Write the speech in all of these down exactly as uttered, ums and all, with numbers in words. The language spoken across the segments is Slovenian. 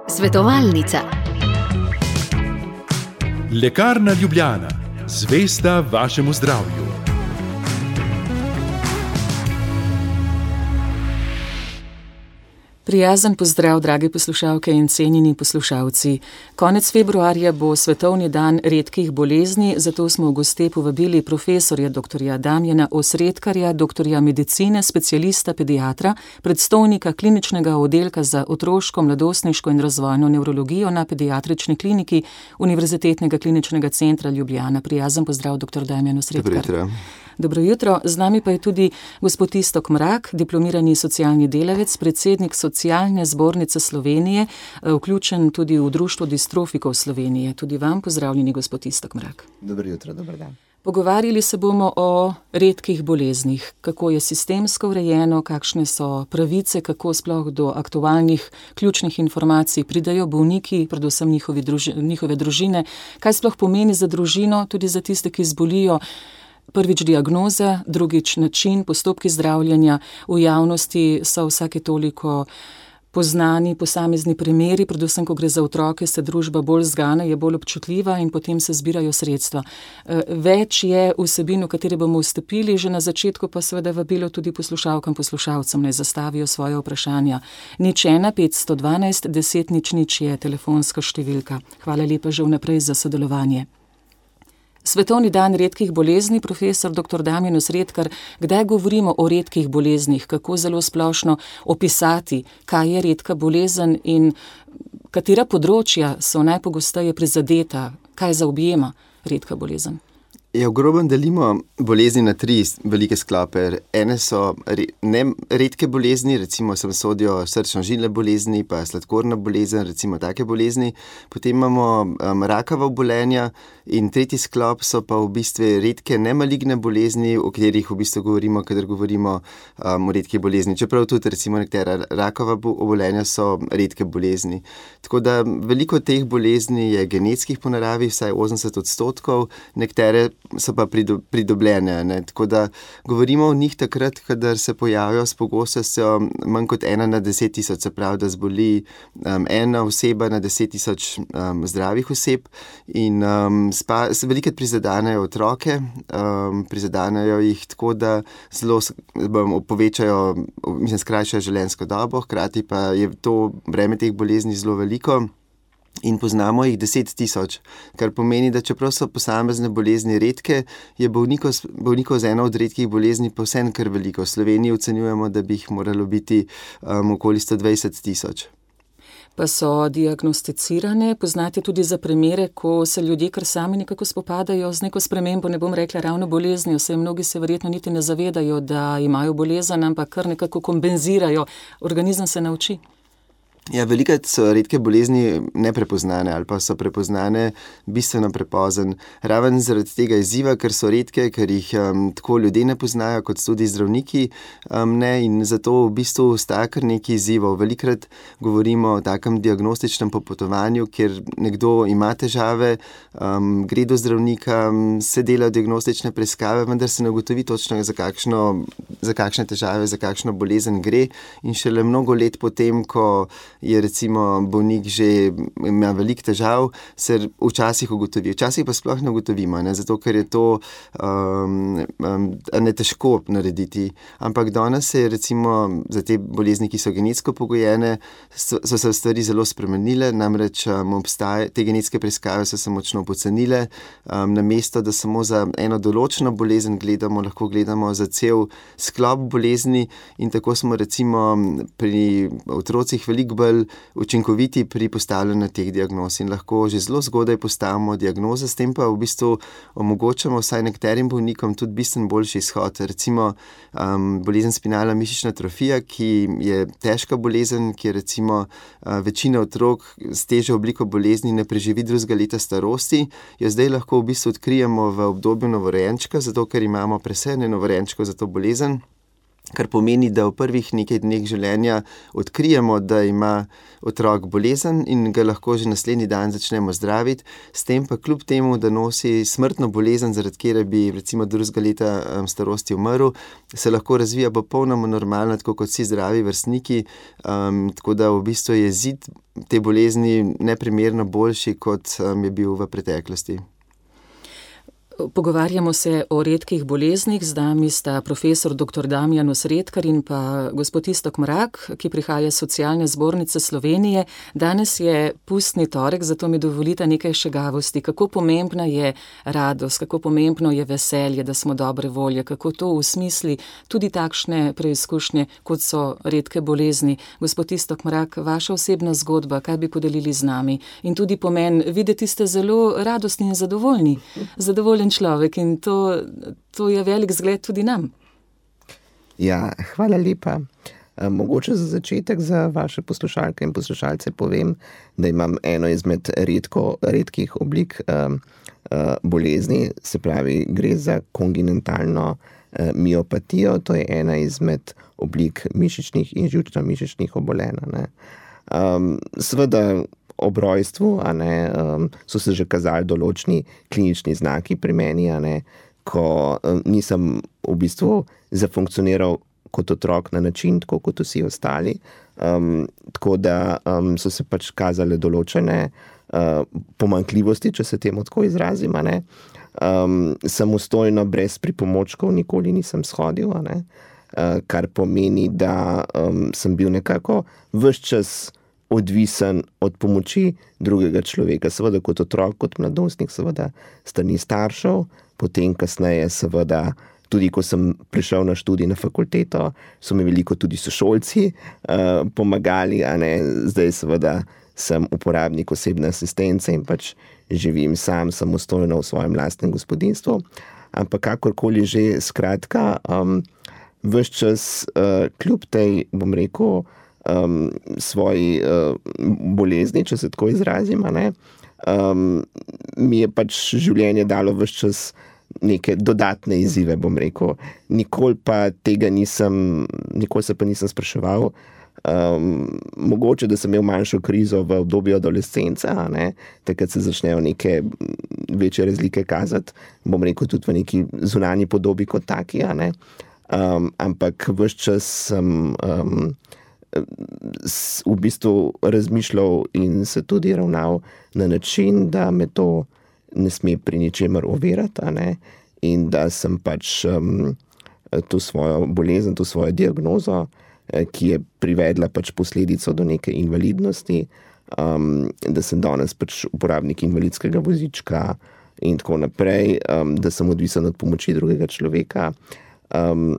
Svetovalnica. Lekarna Ljubljana, zvesta vašemu zdravju. Prijazen pozdrav, drage poslušalke in cenjeni poslušalci. Konec februarja bo Svetovni dan redkih bolezni, zato smo v goste povabili profesorja doktorja Damjana Osredkarja, doktorja medicine, specialista pediatra, predstojnika kliničnega oddelka za otroško, mladostniško in razvojno nevrologijo na Pediatrični kliniki Univerzitetnega kliničnega centra Ljubljana. Prijazen pozdrav, doktor Damjan Osredkar. Dobro jutro. Dobro jutro. Z nami pa je tudi gospod Iztok Mrak, diplomirani socialni delavec, predsednik Socialne zbornice Slovenije, vključen tudi v Društvo distrofikov Slovenije. Tudi vam pozdravljeni, gospod Iztok Mrak. Dobro jutro, dober dan. Pogovarjali se bomo o redkih boleznih, kako je sistemsko urejeno, kakšne so pravice, kako sploh do aktualnih ključnih informacij pridajo bolniki, predvsem njihovi druži, njihove družine, kaj sploh pomeni za družino, tudi za tiste, ki zbolijo. Prvič diagnoza, drugič način, postopki zdravljenja. V javnosti so vsake toliko poznani posamezni primeri, predvsem, ko gre za otroke, se družba bolj zgana, je bolj občutljiva in potem se zbirajo sredstva. Več je vsebin, v katere bomo vstopili, že na začetku pa seveda vabilo tudi poslušalkam, poslušalcem, naj zastavijo svoje vprašanja. Nič ena, petsto dvanajst, deset nič nič je telefonska številka. Hvala lepa že vnaprej za sodelovanje. Svetovni dan redkih bolezni, profesor doktor Damjan Osredkar, kdaj govorimo o redkih boleznih, kako zelo splošno opisati, kaj je redka bolezen in katera področja so najpogosteje prizadeta, kaj zaobjema redka bolezen? Ja, v grobem delimo bolezni na tri velike sklope. Ene so re, ne redke bolezni, recimo sem sodijo srčno-žilne bolezni, pa sladkorna bolezen, recimo take bolezni. Potem imamo um, rakava obolenja in tretji sklop so pa v bistvu redke nemaligne bolezni, o katerih v bistvu govorimo, kadar govorimo um, o redkih bolezni. Čeprav tudi recimo nekatera rakava obolenja so redke bolezni. Tako da veliko teh bolezni je genetskih po naravi, vsaj osemdeset odstotkov, nekatere so pa pridobljene. Ne? Tako da govorimo o njih takrat, kadar se pojavijo s pogostnostjo manj kot ena na deset tisoč, se pravi, da zboli um, ena oseba na deset tisoč um, zdravih oseb in um, spa, velikrat prizadanejo otroke, um, prizadanejo jih tako, da zelo um, povečajo, mislim, skrajšajo življenjsko dobo, hkrati pa je to breme teh bolezni zelo veliko. In poznamo jih deset tisoč, kar pomeni, da čeprav so posamezne bolezni redke, je bolnikov, bolnikov z eno od redkih bolezni povsem kar veliko. V Sloveniji ocenjujemo, da bi jih moralo biti um, okoli sto dvajset tisoč. Pa so diagnosticirane, poznate tudi za primere, ko se ljudje kar sami nekako spopadajo z neko spremembo, ne bom rekla ravno boleznijo, saj mnogi se verjetno niti ne zavedajo, da imajo bolezen, ampak kar nekako kompenzirajo, organizem se nauči. Ja, velikrat so redke bolezni neprepoznane ali pa so prepoznane bistveno prepozen. Raven zaradi tega izziva, ker so redke, ker jih um, tako ljudje ne poznajo, kot tudi zdravniki um, ne, in zato v bistvu ostaja kar nekaj izzivov. Velikrat govorimo o takem diagnostičnem popotovanju, kjer nekdo ima težave, um, gre do zdravnika, se delajo diagnostične preiskave, vendar se ne ugotovi točno, za, kakšno, za kakšne težave, za kakšno bolezen gre in šele mnogo let potem, ko je recimo bolnik že ima veliko težav, se včasih ugotovi. Včasih pa sploh ne ugotovimo, ne? Zato ker je to um, um, ne težko narediti. Ampak danes se je recimo za te bolezni, ki so genetsko pogojene, so, so se stvari zelo spremenile, namreč um, obstaje, te genetske preiskave so se močno pocenile. Um, namesto, da samo za eno določeno bolezen gledamo, lahko gledamo za cel sklop bolezni in tako smo recimo pri otrocih veliko bolj učinkoviti pri postavljanju teh diagnoz in lahko že zelo zgodaj postavimo diagnoze, s tem pa v bistvu omogočamo vsaj nekaterim bolnikom tudi bistveno boljši izhod. Recimo um, bolezen spinalna mišična atrofija, ki je težka bolezen, ki je recimo uh, večina otrok s težjo obliko bolezni ne preživi drugega leta starosti, jo zdaj lahko v bistvu odkrijemo v obdobju novorojenčka, zato ker imamo presejanje novorojenčkov za to bolezen. kar pomeni, da v prvih nekaj dneh življenja odkrijemo, da ima otrok bolezen in ga lahko že naslednji dan začnemo zdraviti, s tem pa kljub temu, da nosi smrtno bolezen, zaradi kjer bi recimo drugega leta starosti umrl, se lahko razvija popolnoma normalno, tako kot vsi zdravi vrstniki, um, tako da v bistvu je izid te bolezni neprimerno boljši, kot um, je bil v preteklosti. Pogovarjamo se o redkih boleznih, z nami sta profesor doktor Damjanus Redkar in pa gospod Iztok Mrak, ki prihaja iz Socialne zbornice Slovenije. Danes je pustni torek, zato mi dovolite nekaj šegavosti. Kako pomembna je radost, kako pomembno je veselje, da smo dobre volje, kako to usmisli tudi takšne preizkušnje, kot so redke bolezni. Gospod Iztok Mrak, vaša osebna zgodba, kaj bi podelili z nami? In tudi pomen, videti ste zelo radostni in zadovoljni. Zadovoljni človek in to, to je velik zgled tudi nam. Ja, hvala lepa. Mogoče za začetek za vaše poslušalke in poslušalce povem, da imam eno izmed redko, redkih oblik um, uh, bolezni, se pravi, gre za kongenentalno uh, miopatijo, to je ena izmed oblik mišičnih in živčno-mišičnih obolenj. Ne. Um, seveda, ob rojstvu, a ne, um, so se že kazali določni klinični znaki pri meni, a ne, ko um, nisem v bistvu zafunkcioniral kot otrok na način, tako kot vsi ostali. Um, tako da um, so se pač kazale določene uh, pomanjkljivosti, če se temu tako izrazim, a ne. Um, samostojno, brez pripomočkov nikoli nisem shodil, a ne, uh, kar pomeni, da um, sem bil nekako ves čas odvisen od pomoči drugega človeka. Seveda kot otrok, kot mladostnik, seveda strani staršev, potem kasneje seveda, tudi ko sem prišel na študij na fakulteto, so mi veliko tudi sošolci uh, pomagali, a ne, zdaj seveda sem uporabnik osebne asistence in pač živim sam samostojno v svojem lastnem gospodinjstvu. Ampak kakorkoli že, skratka, um, ves čas uh, kljub tej, bom rekel, Um, svoji uh, bolezni, če se tako izrazim, a ne, um, mi je pač življenje dalo ves čas neke dodatne izzive, bom rekel. Nikoli pa tega nisem, nikoli se pa nisem spraševal. Um, mogoče, da sem imel manjšo krizo v obdobju adolescence, a ne, takrat se začnejo neke večje razlike kazati, bom rekel tudi v neki zunanji podobi kot taki, a ne, um, ampak ves čas sem um, v bistvu razmišljal in se tudi ravnal na način, da me to ne sme pri ničemer ovirati, a ne, in da sem pač um, to svojo bolezen, to svojo diagnozo, ki je privedla pač posledico do neke invalidnosti, um, da sem danes pač uporabnik invalidskega vozička in tako naprej, um, da sem odvisen od pomoči drugega človeka. Um,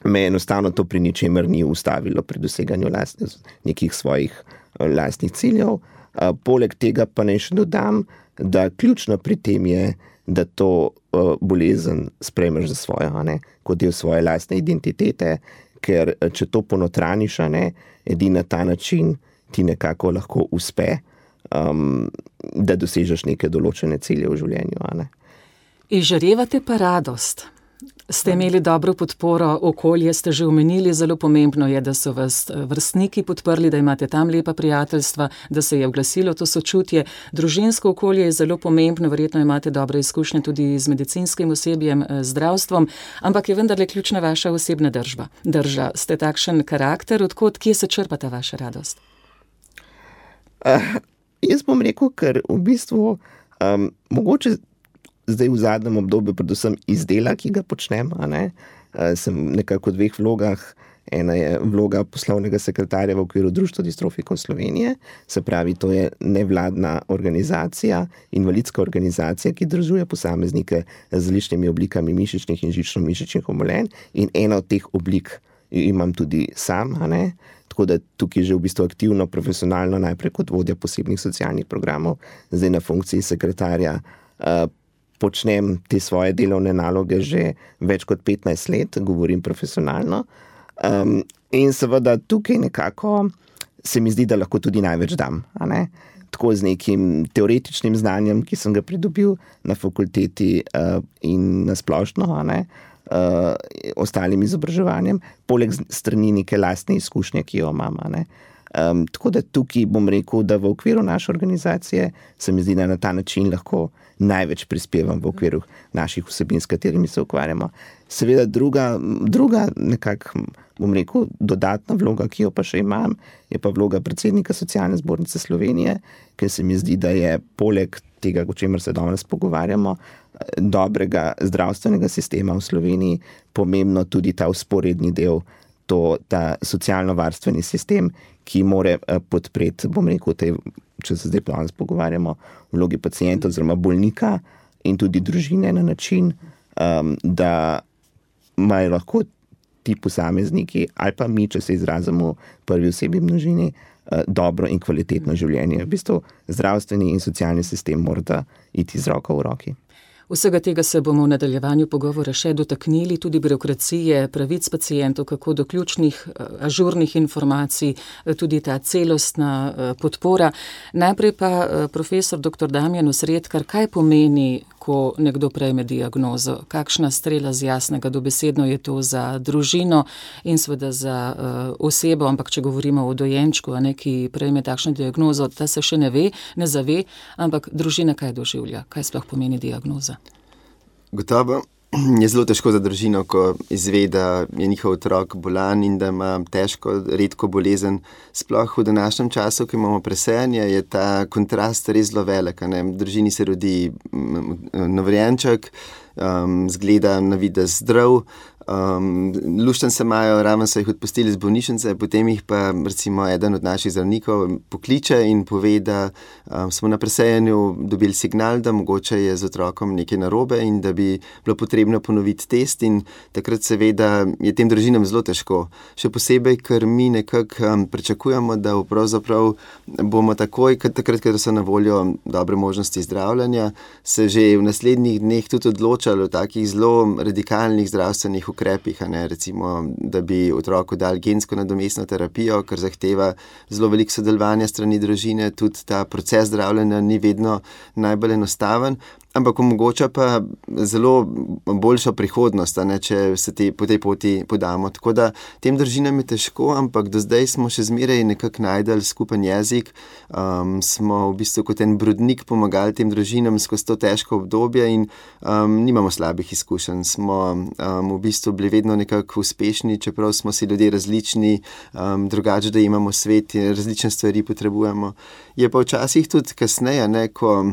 me enostavno to pri ničemer ni ustavilo pri doseganju lastnih, nekih svojih lastnih ciljev. Uh, poleg tega pa naj še dodam, da ključno pri tem je, da to uh, bolezen sprejmeš za svojo, a ne, kot del svoje lastne identitete, ker če to ponotraniš, a ne, edini na ta način ti nekako lahko uspe, um, da dosežeš neke določene cilje v življenju, a ne. Izžarevate pa radost. Ste imeli dobro podporo, okolje ste že omenili, zelo pomembno je, da so vas vrstniki podprli, da imate tam lepa prijateljstva, da se je oglasilo to sočutje. Družinsko okolje je zelo pomembno, verjetno imate dobre izkušnje tudi z medicinskim osebjem, zdravstvom, ampak je vendarle ključna vaša osebna držba. Drža, ste takšen karakter, odkot, kje se črpa ta vaša radost? Uh, jaz bom rekel, ker v bistvu um, mogoče zdaj v zadnjem obdobju predvsem iz dela, ki ga počnem, a ne, sem nekako v dveh vlogah. Ena je vloga poslovnega sekretarja v okviru Društva distrofikov Slovenije, se pravi, to je nevladna organizacija, invalidska organizacija, ki združuje posameznike z različnimi oblikami mišičnih in žično-mišičnih obolenj, in ena od teh oblik imam tudi sam, a ne, tako da tukaj že v bistvu aktivno, profesionalno, najprej kot vodja posebnih socialnih programov, zdaj na funkciji sekretarja, uh, počnem te svoje delovne naloge že več kot petnajst let, govorim profesionalno. Um, in seveda tukaj nekako se mi zdi, da lahko tudi največ dam, a ne? Tako z nekim teoretičnim znanjem, ki sem ga pridobil na fakulteti uh, in na splošno, a ne? uh, ostalim izobraževanjem, poleg strani neke lastne izkušnje, ki jo imam. Ne. Um, tako da tukaj bom rekel, da v okviru naše organizacije se mi zdi, da na ta način lahko največ prispevam v okviru naših vsebin, s katerimi se ukvarjamo. Seveda druga, druga nekako, bom rekel, dodatna vloga, ki jo pa še imam, je pa vloga predsednika Socialne zbornice Slovenije, ker se mi zdi, da je poleg tega, o čemer se danes pogovarjamo, dobrega zdravstvenega sistema v Sloveniji pomembno tudi ta vzporedni del, to, ta socialno-varstveni sistem, ki more podpreti, bom rekel, tej, če se zdaj danes pogovarjamo, vlogi pacienta oziroma bolnika in tudi družine na način, um, da imajo lahko ti posamezniki ali pa mi, če se izrazimo v prvi osebi množini, uh, dobro in kvalitetno življenje. V bistvu zdravstveni in socialni sistem mora iti z roko v roki. Vsega tega se bomo v nadaljevanju pogovora še dotaknili, tudi birokracije, pravic pacientov, kako do ključnih, ažurnih informacij, tudi ta celostna podpora. Najprej pa profesor doktor Damjan Osredkar, kaj pomeni, ko nekdo prejme diagnozo? Kakšna strela z jasnega dobesedno je to za družino in seveda za osebo, ampak če govorimo o dojenčku, a ne, ki prejme takšno diagnozo, ta se še ne ve, ne zave, ampak družina kaj doživlja? Kaj sploh pomeni diagnoza? Gotovo je zelo težko za družino, ko izve, da je njihov otrok bolan in da ima težko, redko bolezen. Sploh v današnjem času, ko imamo presejanje, je ta kontrast res zelo velik. Ne? V družini se rodi novorojenček, um, zgleda na videz zdrav, Um, lušten se imajo, ravno so jih odpustili z bolnišnice, potem jih pa recimo eden od naših zdravnikov pokliče in pove, da um, smo na presejanju dobili signal, da mogoče je z otrokom nekaj narobe in da bi bilo potrebno ponoviti test, in takrat seveda je tem družinam zelo težko. Še posebej, ker mi nekako um, pričakujemo, da pravzaprav bomo takoj, takrat, ker so na voljo dobre možnosti zdravljenja, se že v naslednjih dneh tudi odločali o takih zelo radikalnih zdravstvenih ukrepih, a ne, recimo, da bi otroku dali gensko nadomestno terapijo, kar zahteva zelo veliko sodelovanja strani družine, tudi ta proces zdravljenja ni vedno najbolj enostaven, ampak omogoča pa zelo boljšo prihodnost, a ne, če se te, po tej poti podamo. Tako da tem družinam je težko, ampak do zdaj smo še zmeraj nekako najdeli skupen jezik, um, smo v bistvu kot en brodnik pomagali tem družinam skozi to težko obdobje in um, nimamo slabih izkušenj. Smo um, v bistvu bili vedno nekako uspešni, čeprav smo si ljudje različni, um, drugače da imamo svet, različne stvari potrebujemo. Je pa včasih tudi kasneje, ne, ko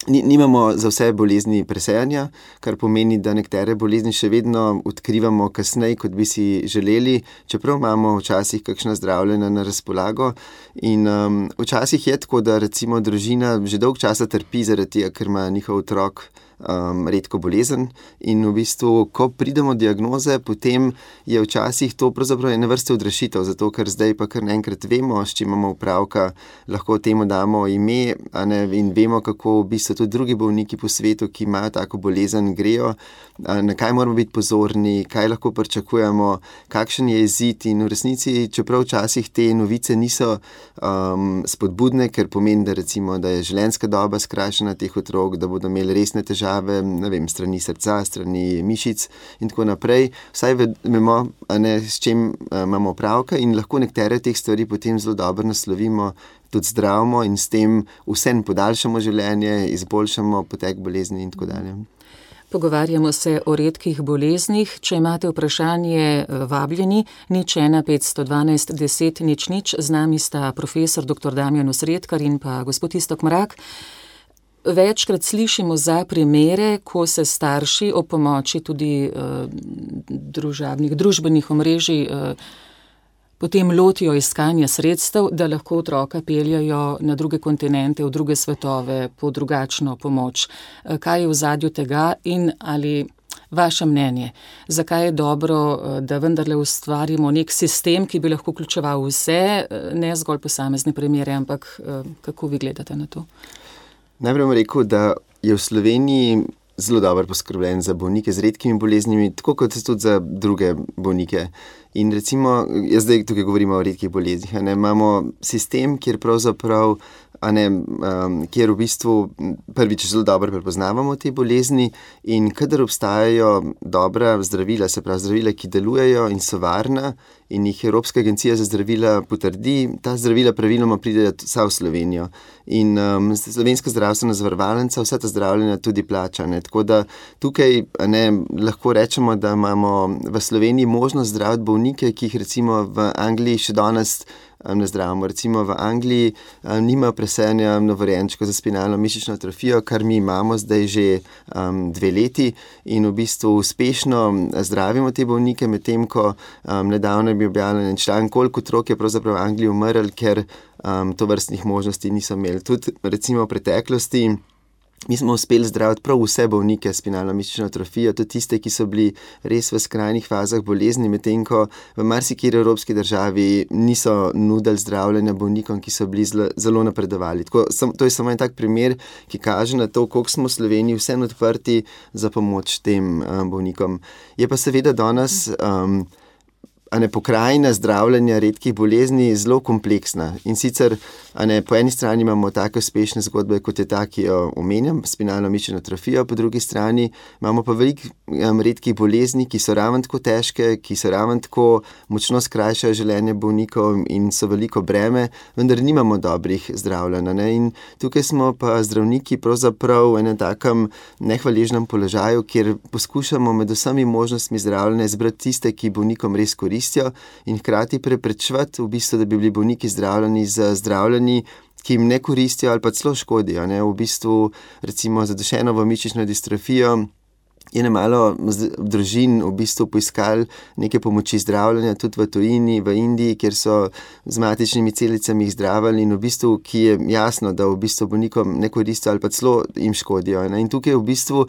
nimamo za vse bolezni presejanja, kar pomeni, da nekatere bolezni še vedno odkrivamo kasneje, kot bi si želeli, čeprav imamo včasih kakšna zdravljenja na razpolago. In um, včasih je tako, da recimo družina že dolg časa trpi zaradi tega, ker ima njihov otrok Um, redko bolezen, in v bistvu, ko pridemo diagnoze, potem je včasih to pravzaprav ena vrsta odrešitev, zato ker zdaj pa kar naenkrat vemo, s čim imamo opravka, lahko temu damo ime, a ne, in vemo, kako v bistvu tudi drugi bolniki po svetu, ki imajo tako bolezen, grejo, a, na kaj moramo biti pozorni, kaj lahko pričakujemo, kakšen je izid, in v resnici, čeprav včasih te novice niso um, spodbudne, ker pomeni, da recimo, da je življenjska doba skrajšana teh otrok, da bodo imeli resne težave, ne vem, strani srca, strani mišic in tako naprej. Vsaj vemo, ne, s čim imamo opravka, in lahko nekatere teh stvari potem zelo dobro naslovimo, tudi zdravimo in s tem vsem podaljšamo življenje, izboljšamo potek bolezni in tako dalje. Pogovarjamo se o redkih boleznih. Če imate vprašanje, vabljeni, nič ena petsto dvanajst deset nič nič. Z nami sta profesor doktor Damjan Osredkar in pa gospod Iztok Mrak. Večkrat slišimo za primere, ko se starši ob pomoči tudi uh, družabnih, družbenih omrežij uh, potem lotijo iskanja sredstev, da lahko otroka peljajo na druge kontinente, v druge svetove, po drugačno pomoč. Uh, kaj je v ozadju tega in ali vaše mnenje, zakaj je dobro, uh, da vendarle ustvarimo nek sistem, ki bi lahko vključeval vse, uh, ne zgolj posamezne primere, ampak uh, kako vi gledate na to? Najprej bom rekel, da je v Sloveniji zelo dobro poskrbljen za bolnike z redkimi boleznimi, tako kot tudi za druge bolnike. In recimo, jaz zdaj tukaj govorimo o redkih boleznih, ne, imamo sistem, kjer pravzaprav a ne, um, kjer v bistvu prvič zelo dobro prepoznavamo te bolezni in kadar obstajajo dobra zdravila, se pravi zdravila, ki delujejo in so varna in jih Evropska agencija za zdravila potrdi, ta zdravila praviloma pridejo vsa v Slovenijo. In um, Slovenska zdravstvena zavarovalnica vsa ta zdravljenja tudi plača. Ne? Tako da tukaj ne, lahko rečemo, da imamo v Sloveniji možnost zdraviti bolnike, ki jih recimo v Angliji še danes ne zdravimo. Recimo v Angliji um, nima presejanja novorojenčkov za spinalno mišično atrofijo, kar mi imamo zdaj že um, dve leti in v bistvu uspešno zdravimo te bolnike, medtem ko um, nedavno je bil objavljen članek, koliko otrok je pravzaprav v Angliji umrl, ker um, to vrstnih možnosti niso imeli. Tudi recimo v preteklosti mi smo uspeli zdraviti prav vse bolnike s spinalno mišično atrofijo, tudi tiste, ki so bili res v skrajnih fazah bolezni, medtem ko v marsikateri evropski državi niso nudili zdravljenja bolnikom, ki so bili zelo, zelo napredovali. Tako, sam, to je samo en tak primer, ki kaže na to, koliko smo v Sloveniji vseeno odprti za pomoč tem um, bolnikom. Je pa seveda danes um, a ne, pokrajina zdravljenja redkih bolezni zelo kompleksna. In sicer a ne, po eni strani imamo take uspešne zgodbe, kot je ta, ki jo omenjam, spinalno mišično atrofijo, po drugi strani imamo pa veliko um, redkih bolezni, ki so ravno tako težke, ki so ravno tako močno skrajšajo življenje bolnikov in so veliko breme, vendar nimamo dobrih zdravljenj. Ne? In tukaj smo pa zdravniki pravzaprav v enem takem nehvaležnem položaju, kjer poskušamo med vsemi možnostmi zdravljenja izbrati tiste, ki bolnikom res koristijo in hkrati preprečevati v bistvu, da bi bili bolniki zdravljeni z zdravljenji, ki jim ne koristijo ali pa celo škodijo. Ne? V bistvu recimo za Dušenovo mišično distrofijo je nemalo družin v bistvu poiskali neke pomoči zdravljenja, tudi v tujini, v Indiji, kjer so z matičnimi celicami jih zdravili in v bistvu, ki je jasno, da v bistvu bolnikom ne koristijo ali pa celo jim škodijo. Ne? In tukaj v bistvu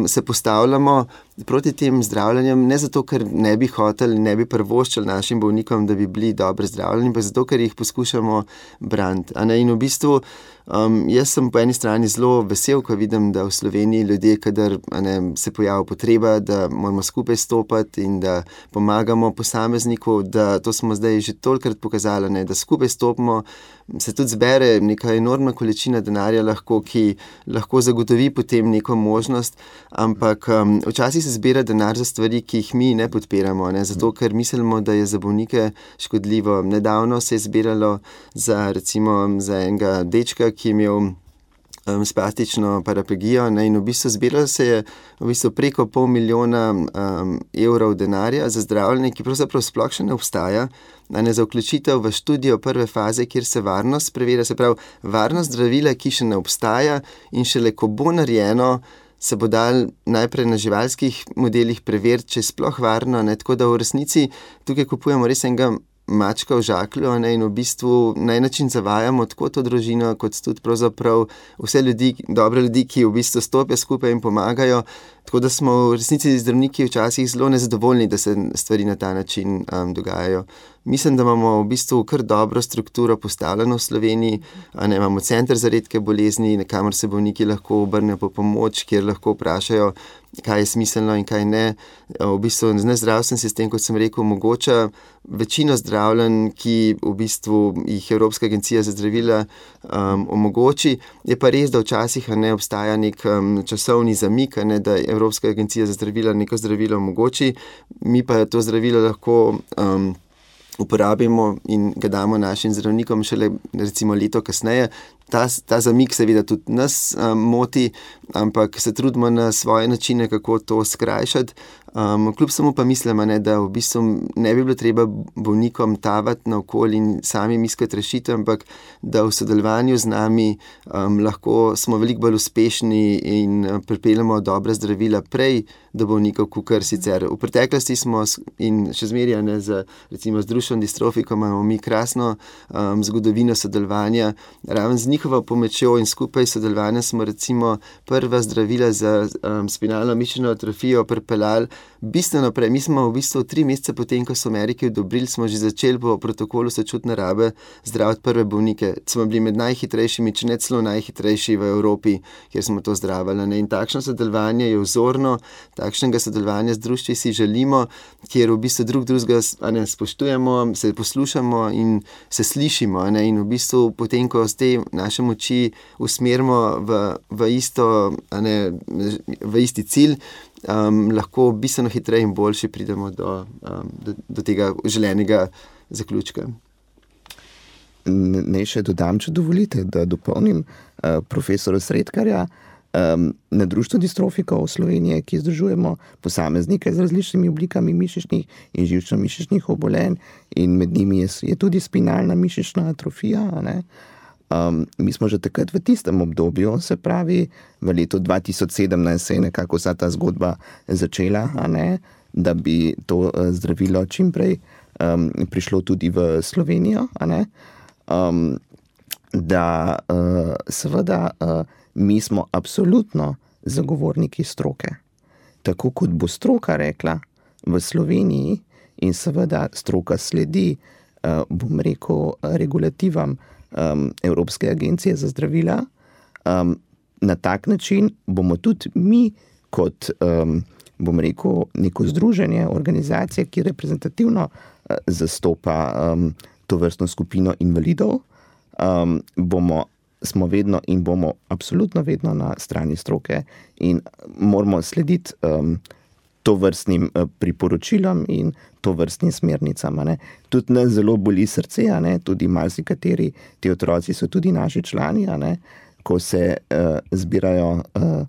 se postavljamo proti tem zdravljenjem, ne zato, ker ne bi hoteli, ne bi prvoščili našim bolnikom, da bi bili dobro zdravljeni, pa zato, ker jih poskušamo braniti. In v bistvu um, jaz sem po eni strani zelo vesel, ko vidim, da v Sloveniji ljudje, kadar ne, se pojavi potreba, da moramo skupaj stopati in da pomagamo posamezniku, da to smo zdaj že tolikrat pokazali, ne, da skupaj stopimo, se tudi zbere neka enormna količina denarja lahko, ki lahko zagotovi potem neko možnost, ampak um, včasih se zbira denar za stvari, ki jih mi ne podpiramo, ne? Zato, ker mislimo, da je za bolnike škodljivo. Nedavno se je zbiralo za, recimo, za enega dečka, ki je imel um, spastično paraplegijo, ne? In v bistvu zbiralo se je v bistvu preko pol milijona um, evrov denarja za zdravljenje, ki pravzaprav sploh še ne obstaja, ne, za vključitev v študijo prve faze, kjer se varnost preverja, se pravi varnost zdravila, ki še ne obstaja in šele ko bo narejeno, se bo dal najprej na živalskih modelih preveriti, če je sploh varno, ne, tako da v resnici tukaj kupujemo res enega mačka v žaklju, ne, in v bistvu na en način zavajamo tako to družino, kot tudi pravzaprav vse ljudi, dobre ljudi, ki v bistvu stopijo skupaj in pomagajo, tako da smo v resnici zdravniki včasih zelo nezadovoljni, da se stvari na ta način um, dogajajo. Mislim, da imamo v bistvu kar dobro strukturo postavljeno v Sloveniji, a ne, imamo center za redke bolezni, kamor se bolniki lahko obrnejo po pomoč, kjer lahko vprašajo, kaj je smiselno in kaj ne. V bistvu zdravstveni sistem, kot sem rekel, omogoča večino zdravljenj, ki v bistvu jih Evropska agencija za zdravila um, omogoči. Je pa res, da včasih ne obstaja nek um, časovni zamik, ne, da Evropska agencija za zdravila neko zdravilo omogoči, mi pa to zdravilo lahko um, uporabimo in ga damo našim zdravnikom šele recimo leto kasneje. Ta, ta zamik seveda tudi nas um, moti, ampak se trudimo na svoje načine, kako to skrajšati. Um, kljub samo pa mislim, ne, da v bistvu ne bi bilo treba bolnikom tavati naokoli in sami iskati rešitev, ampak da v sodelovanju z nami um, lahko smo veliko bolj uspešni in pripeljemo dobre zdravila prej do bolnikov, kakor sicer. V preteklosti smo in še zmeraj ne, z, recimo z Dušenom distrofikom imamo mi krasno um, zgodovino sodelovanja, raven z njihovo pomočjo in skupaj sodelovanja smo recimo prva zdravila za um, spinalno mišično atrofijo pripeljali bistveno prej. Mi smo v bistvu tri mesece potem, ko so Ameriki odobrili, smo že začeli po protokolu sočutne rabe zdraviti prve bolnike. Smo bili med najhitrejšimi, če ne celo najhitrejši v Evropi, kjer smo to zdravili. Ne? In takšno sodelovanje je vzorno, takšnega sodelovanja z društvi si želimo, kjer v bistvu drug drugega ne, spoštujemo, se poslušamo in se slišimo. Ne? In v bistvu potem, ko z te naše moči usmerimo v, v, isto, ne, v isti cilj, Um, lahko bistveno hitreje in boljše pridemo do, um, do, do tega želenega zaključka. Naj še dodam, če dovolite, da dopolnim uh, profesora Sredkarja. Um, na Društvu distrofikov Slovenije, ki združujemo posameznike z različnimi oblikami mišičnih in živčno-mišičnih obolenj, in med njimi je, je tudi spinalna mišična atrofija, ne? Um, mi smo že takrat v tistem obdobju, se pravi v letu dva tisoč sedemnajst se je nekako vsa ta zgodba začela, a ne, da bi to uh, zdravilo čimprej um, prišlo tudi v Slovenijo, a ne, um, da uh, seveda uh, mi smo absolutno zagovorniki stroke. Tako kot bo stroka rekla v Sloveniji in seveda stroka sledi, uh, bom rekel, regulativam Um, Evropske agencije za zdravila, um, na tak način bomo tudi mi kot, um, bom rekel, neko združenje, organizacija, ki reprezentativno uh, zastopa um, to vrstno skupino invalidov, um, bomo, smo vedno in bomo absolutno vedno na strani stroke in moramo slediti um, to vrstnim uh, priporočilom in to vrstnim smernicam. Ne. Tudi nas zelo boli srce, ne. Tudi marsikateri ti otroci so tudi naši člani, ne. Ko se uh, zbirajo, uh,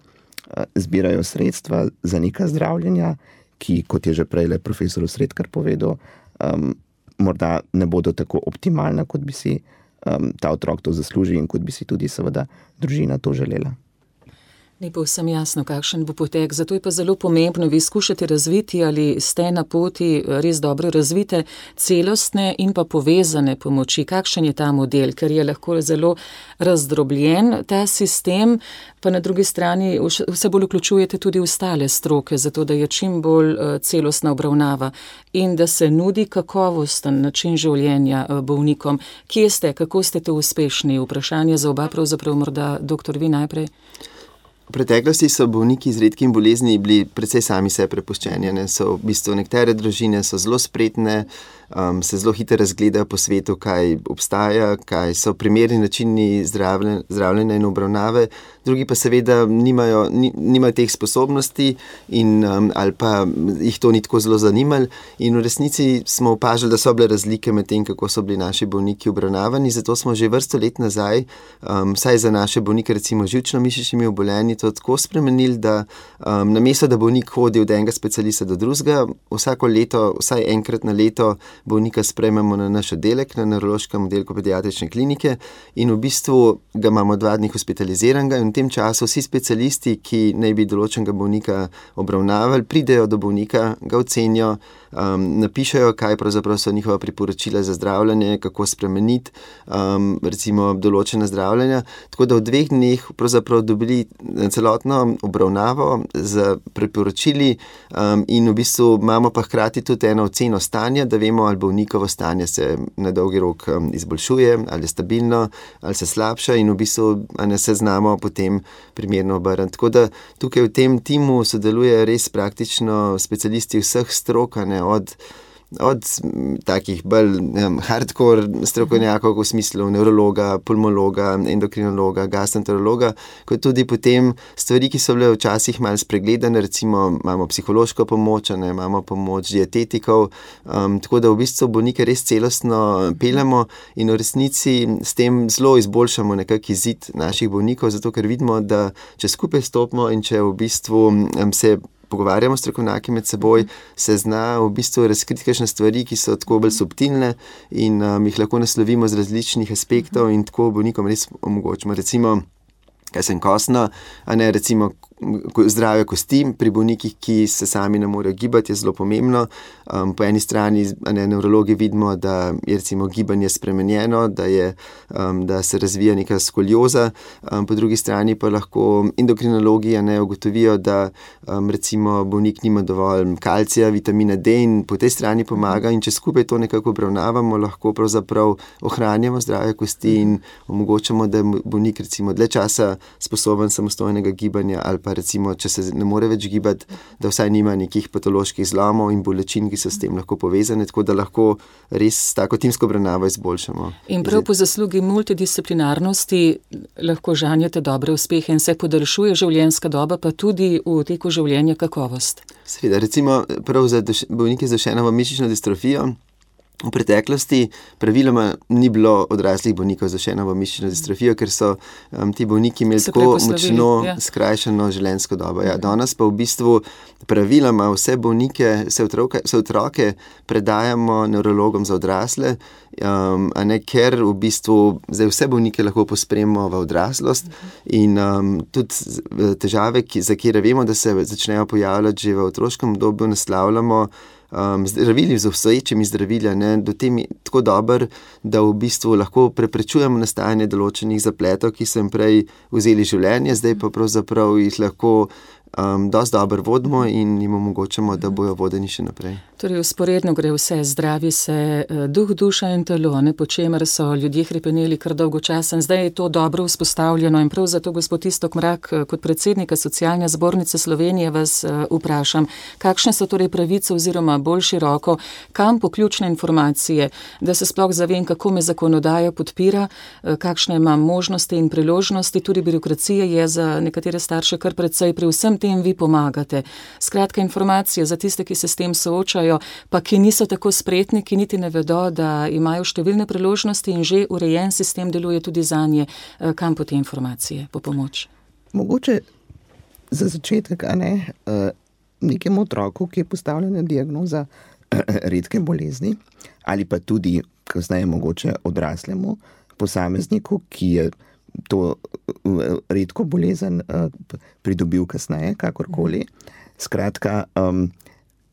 zbirajo sredstva za neka zdravljenja, ki, kot je že prej profesor Sredkar povedal, um, morda ne bodo tako optimalna, kot bi si um, ta otrok to zaslužil in kot bi si tudi seveda družina to želela. Ni povsem jasno, kakšen bo potek, zato je pa zelo pomembno, vi skušate razviti ali ste na poti res dobro razvite celostne in pa povezane pomoči. Kakšen je ta model, ker je lahko zelo razdrobljen ta sistem, pa na drugi strani vse bolj vključujete tudi ostale stroke, zato da je čim bolj celostna obravnava in da se nudi kakovosten način življenja bolnikom. Kje ste, kako ste to uspešni? Vprašanje za oba, pravzaprav morda doktor vi najprej. V preteklosti so bolniki z redkimi bolezni bili precej sami se prepuščeni. Ne? So v bistvu nekatere družine so zelo spretne, um, se zelo hitro razgledajo po svetu, kaj obstaja, kaj so primerni načini zdravljenja in obravnave, drugi pa seveda nimajo, nimajo teh sposobnosti in, um, ali pa jih to ni tako zelo zanimalo. In v resnici smo opažali, da so bile razlike med tem, kako so bili naši bolniki obravnavani, zato smo že vrsto let nazaj, um, vsaj za naše bolnike, recimo živčno-mišičnimi obolenji, to tako spremenili, da um, namesto, da bolnik hodi od enega specialista do drugega, vsako leto, vsaj enkrat na leto bolnika sprejmemo na naš oddelek, na nevrološkem oddelku pediatrične klinike in v bistvu ga imamo dva dni hospitaliziranega in v tem času vsi specialisti, ki naj bi določenega bolnika obravnavali, pridejo do bolnika, ga ocenijo, um, napišejo, kaj pravzaprav so njihova priporočila za zdravljenje, kako spremeniti um, recimo določene zdravljenja, tako da v dveh dneh pravzaprav dobili celotno obravnavo z priporočili um, in v bistvu imamo pa hkrati tudi eno oceno stanja, da vemo, ali bolnikovo stanje se na dolgi rok um, izboljšuje, ali je stabilno, ali se slabša in v bistvu ne se znamo potem primerno obrniti. Tako da tukaj v tem timu sodeluje res praktično specialisti vseh strok, ne, od od takih bolj um, hardcore strokovnjakov v smislu nevrologa, pulmologa, endokrinologa, gastroenterologa, kot tudi potem stvari, ki so bile včasih malo spregledane, recimo imamo psihološko pomoč, ne, imamo pomoč dietetikov, um, tako da v bistvu bolnike res celostno peljemo in v resnici s tem zelo izboljšamo nekak izid naših bolnikov, zato ker vidimo, da če skupaj stopimo in če v bistvu um, se pogovarjamo strokovnjaki med seboj, se zna v bistvu razkriti kakšne stvari, ki so tako bolj subtilne in um, jih lahko naslovimo z različnih aspektov in tako bolnikom res omogočimo. Recimo, kaj sem kostno, a ne recimo zdravje kosti pri bolnikih, ki se sami ne morejo gibati, je zelo pomembno. Um, po eni strani, ne, nevrologi vidimo, da je recimo gibanje spremenjeno, da, je, um, da se razvija neka skolioza, um, po drugi strani pa lahko endokrinologi ne ugotovijo, da um, recimo bolnik nima dovolj kalcija, vitamina D in po tej strani pomaga, in če skupaj to nekako obravnavamo, lahko pravzaprav ohranjamo zdravje kosti in omogočamo, da je bolnik recimo dlje časa sposoben samostojnega gibanja, ali pa recimo, če se ne more več gibati, da vsaj nima nekih patoloških zlomov in bolečin, ki so s tem lahko povezane, tako da lahko res tako timsko obravnavo izboljšamo. In prav po zaslugi multidisciplinarnosti lahko žanjete dobre uspehe in se podaljšuje življenjska doba, pa tudi v teku življenja kakovost. Seveda, recimo prav za bolnike z duševno mišično distrofijo, v preteklosti praviloma ni bilo odraslih bolnikov z duševno mišično distrofijo, ker so um, ti bolniki imeli tako močno ja. skrajšano življenjsko dobo. Ja, danes pa v bistvu praviloma vse bolnike, vse otroke, vse otroke predajamo nevrologom za odrasle, um, a ne, ker v bistvu zdaj vse bolnike lahko pospremimo v odraslost in um, tudi težave, ki, za kjer vemo, da se začnejo pojavljati že v otroškem obdobju, naslavljamo Um, zdravili z obstoječimi zdravili, ne, do tem je tako dober, da v bistvu lahko preprečujemo nastajanje določenih zapletov, ki so jim prej vzeli življenje, zdaj pa pravzaprav jih lahko um, dosti dobro vodimo in jim omogočamo, da bojo vodeni še naprej. Torej, usporedno gre vse, zdravi se duh, duša in telo, ne, po čemer so ljudje hrepeneli kar dolgo časa. Zdaj je to dobro vzpostavljeno in prav zato, gospod Iztok Mrak, kot predsednika Socialne zbornice Slovenije vas uh, vprašam, kakšne so torej pravice oziroma bolj široko, kam poključne informacije, da se sploh zavem, kako me zakonodaja podpira, uh, kakšne imam možnosti in priložnosti, tudi birokracija je za nekatere starše kar precej, pri vsem tem vi pomagate. Skratka, informacije za tiste, ki se s tem soočajo, pa ki niso tako spretni, ki niti ne vedo, da imajo številne priložnosti in že urejen sistem deluje tudi zanje. Kam po te informacije, po pomoč? Mogoče za začetek, a ne, nekemu otroku, ki je postavljena diagnoza redke bolezni, ali pa tudi, kasneje mogoče odraslemu posamezniku, ki je to redko bolezen pridobil kasneje, kakorkoli. Skratka, um,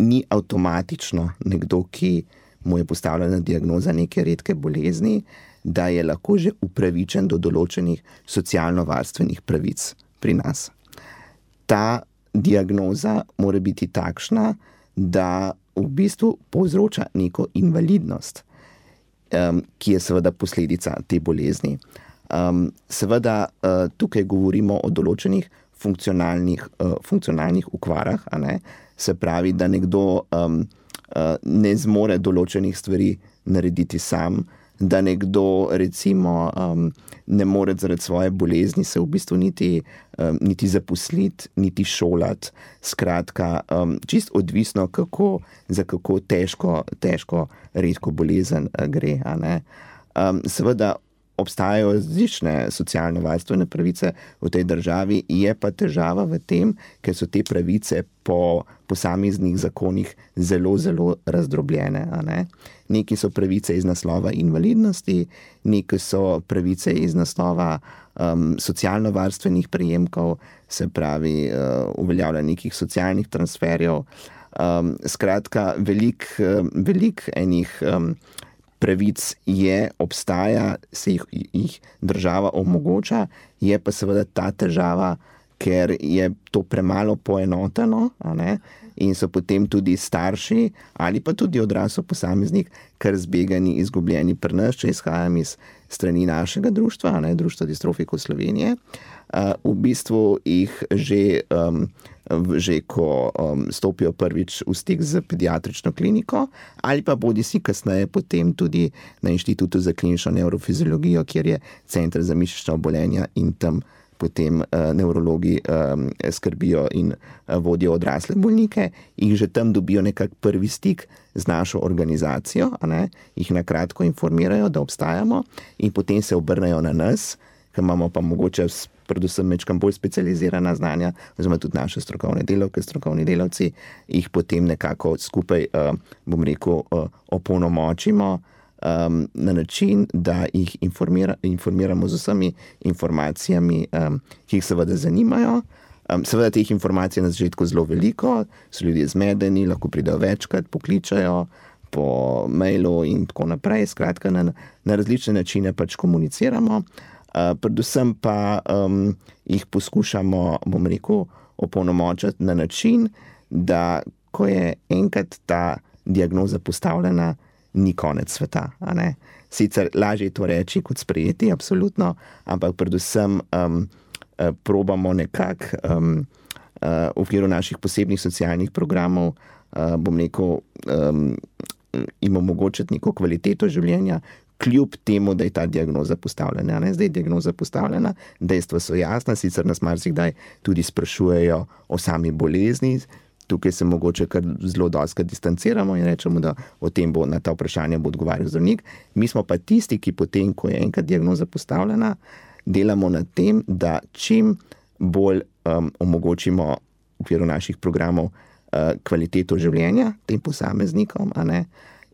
ni avtomatično nekdo, ki mu je postavljena diagnoza neke redke bolezni, da je lahko že upravičen do določenih socialno-varstvenih pravic pri nas. Ta diagnoza mora biti takšna, da v bistvu povzroča neko invalidnost, um, ki je seveda posledica te bolezni. Um, seveda uh, tukaj govorimo o določenih funkcionalnih, uh, funkcionalnih okvarah, a ne? Se pravi, da nekdo um, uh, ne zmore določenih stvari narediti sam, da nekdo recimo um, ne more zaradi svoje bolezni se v bistvu niti, um, niti zaposliti, niti šolati. Skratka, um, čist odvisno, kako, za kako težko, težko redko bolezen uh, gre. A ne? Um, seveda, obstajajo različne socialno-varstvene pravice v tej državi, je pa težava v tem, ker so te pravice po posameznih zakonih zelo, zelo razdrobljene. A ne? Neki so pravice iz naslova invalidnosti, neki so pravice iz naslova um, socialno-varstvenih prejemkov, se pravi uh, uveljavljanja nekih socialnih transferjev. Um, skratka, velik, um, velik enih um, pravic je, obstaja, se jih, jih država omogoča, je pa seveda ta težava, ker je to premalo poenoteno, a ne, in so potem tudi starši ali pa tudi odrasel posameznik kar zbegani, izgubljeni pri nas, če izhajam iz strani našega društva, a ne, Društva distrofikov Slovenije. Uh, v bistvu jih že, um, že ko um, stopijo prvič v stik z pediatrično kliniko ali pa bodi si kasneje potem tudi na Inštitutu za klinično nevrofiziologijo, kjer je Center za mišična obolenja in tam potem uh, nevrologi um, skrbijo in uh, vodijo odrasle bolnike, jih že tam dobijo nekak prvi stik z našo organizacijo, a ne, jih na kratko informirajo, da obstajamo in potem se obrnejo na nas, ker imamo pa mogoče predvsem mečkam bolj specializirana znanja, oziroma tudi naše strokovne delavke, strokovni delavci, jih potem nekako skupaj, uh, bom rekel, uh, opolnomočimo um, na način, da jih informira, informiramo z vsemi informacijami, um, ki jih seveda zanimajo. Um, seveda teh informacij na začetku zelo veliko, so ljudje zmedeni, lahko pridejo večkrat, pokličajo po mailu in tako naprej. Skratka, na, na različne načine pač komuniciramo, uh, predvsem pa um, jih poskušamo, bom rekel, opolnomočiti na način, da ko je enkrat ta diagnoza postavljena, ni konec sveta. A ne? Sicer lažje je to reči kot sprejeti, absolutno, ampak predvsem um, probamo nekako um, uh, v okviru naših posebnih socialnih programov, uh, bom rekel, um, jim omogočiti neko kvaliteto življenja, kljub temu, da je ta diagnoza postavljena. Ne? Zdaj je diagnoza postavljena, dejstva so jasna, sicer nas marsikdaj tudi sprašujejo o sami bolezni. Tukaj se mogoče kar zelo dostikrat distanciramo in rečemo, da o tem bo na ta vprašanja bo odgovarjal zdravnik. Mi smo pa tisti, ki potem, ko je enkrat diagnoza postavljena, delamo na tem, da čim bolj um, omogočimo v okviru naših programov uh, kvaliteto življenja tem posameznikom, a ne?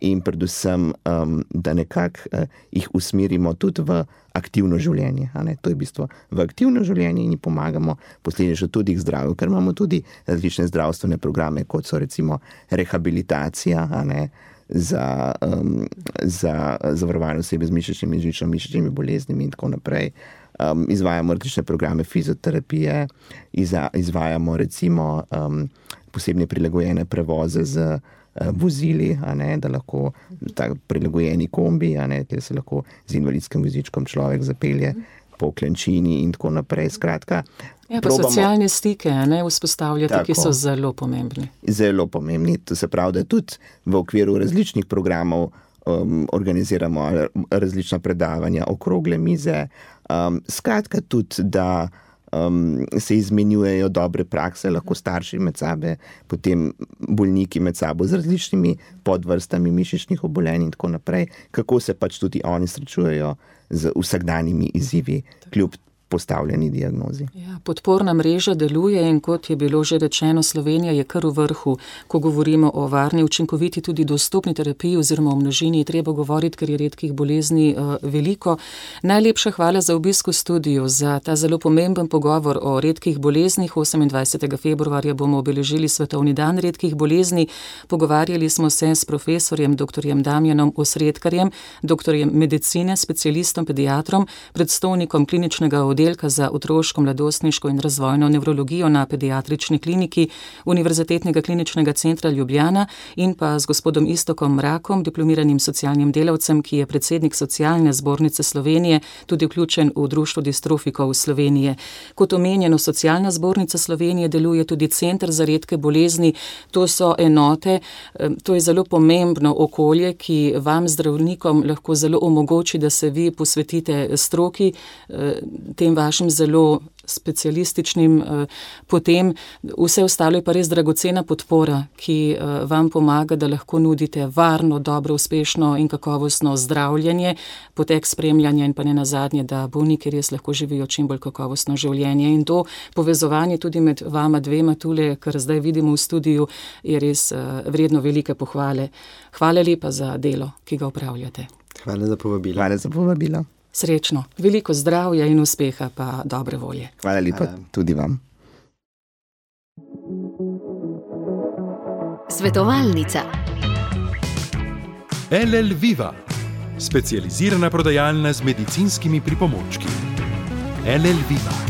In predvsem, um, da nekako uh, jih usmerimo tudi v aktivno življenje. A ne? To je v bistvu v aktivno življenje in jim pomagamo posledično tudi k zdravju, ker imamo tudi različne zdravstvene programe, kot so recimo rehabilitacija, a ne? za, um, za zavarovane osebe z mišičnimi in živčno-mišičnimi boleznimi in tako naprej. Um, izvajamo različne programe fizioterapije, izva, izvajamo recimo um, posebne prilagojene prevoze z uh, vozili, a ne, da lahko tak prilagojeni kombi, a ne, da se lahko z invalidskim vozičkom človek zapelje po Klančini in tako naprej. Skratka, ja, pa probamo socialne stike, ne, vzpostavljati, ki so zelo pomembni. Zelo pomembni. To se pravi, da tudi v okviru različnih programov um, organiziramo različna predavanja, okrogle mize. Um, skratka tudi, da um, se izmenjujejo dobre prakse, lahko starši med sabo, potem bolniki med sabo z različnimi podvrstami mišičnih obolenj in tako naprej, kako se pač tudi oni srečujejo z vsakdanjimi izzivi, kljub postavljeni diagnozi. Ja, podporna mreža deluje in kot je bilo že rečeno, Slovenija je kar v vrhu, ko govorimo o varni, učinkoviti tudi dostopni terapiji oziroma o množini, je treba govoriti, ker je redkih bolezni uh, veliko. Najlepša hvala za obisk v studiu, za ta zelo pomemben pogovor o redkih boleznih. osemindvajsetega februarja bomo obeležili Svetovni dan redkih bolezni. Pogovarjali smo se s profesorjem doktorjem Damjanom Osredkarjem, doktorjem medicine, specialistom, pediatrom, predstojnikom kliničnega oddelka za otroško, mladostniško in razvojno nevrologijo na Pediatrični kliniki Univerzitetnega kliničnega centra Ljubljana in pa z gospodom Iztokom Mrakom, diplomiranim socialnim delavcem, ki je predsednik Socialne zbornice Slovenije, tudi vključen v Društvo distrofikov Slovenije. Kot omenjeno, Socialna zbornica Slovenije deluje tudi Center za redke bolezni. To so enote, to je zelo pomembno okolje, ki vam zdravnikom lahko zelo omogoči, da se vi posvetite stroki, tem vašim zelo specialističnim potem. Vse ostalo je pa res dragocena podpora, ki vam pomaga, da lahko nudite varno, dobro, uspešno in kakovostno zdravljenje, potek spremljanja in pa ne nazadnje, da bolniki res lahko živijo čim bolj kakovostno življenje. In to povezovanje tudi med vama dvema tule, kar zdaj vidimo v studiu, je res vredno velike pohvale. Hvala lepa za delo, ki ga opravljate. Hvala za povabilo. Hvala za povabilo. Srečno, veliko zdravja in uspeha pa dobre volje. Hvala lepa Hvala. Tudi vam. Svetovalnica. L L Viva, specializirana prodajalna z medicinskimi pripomočki. L L Viva.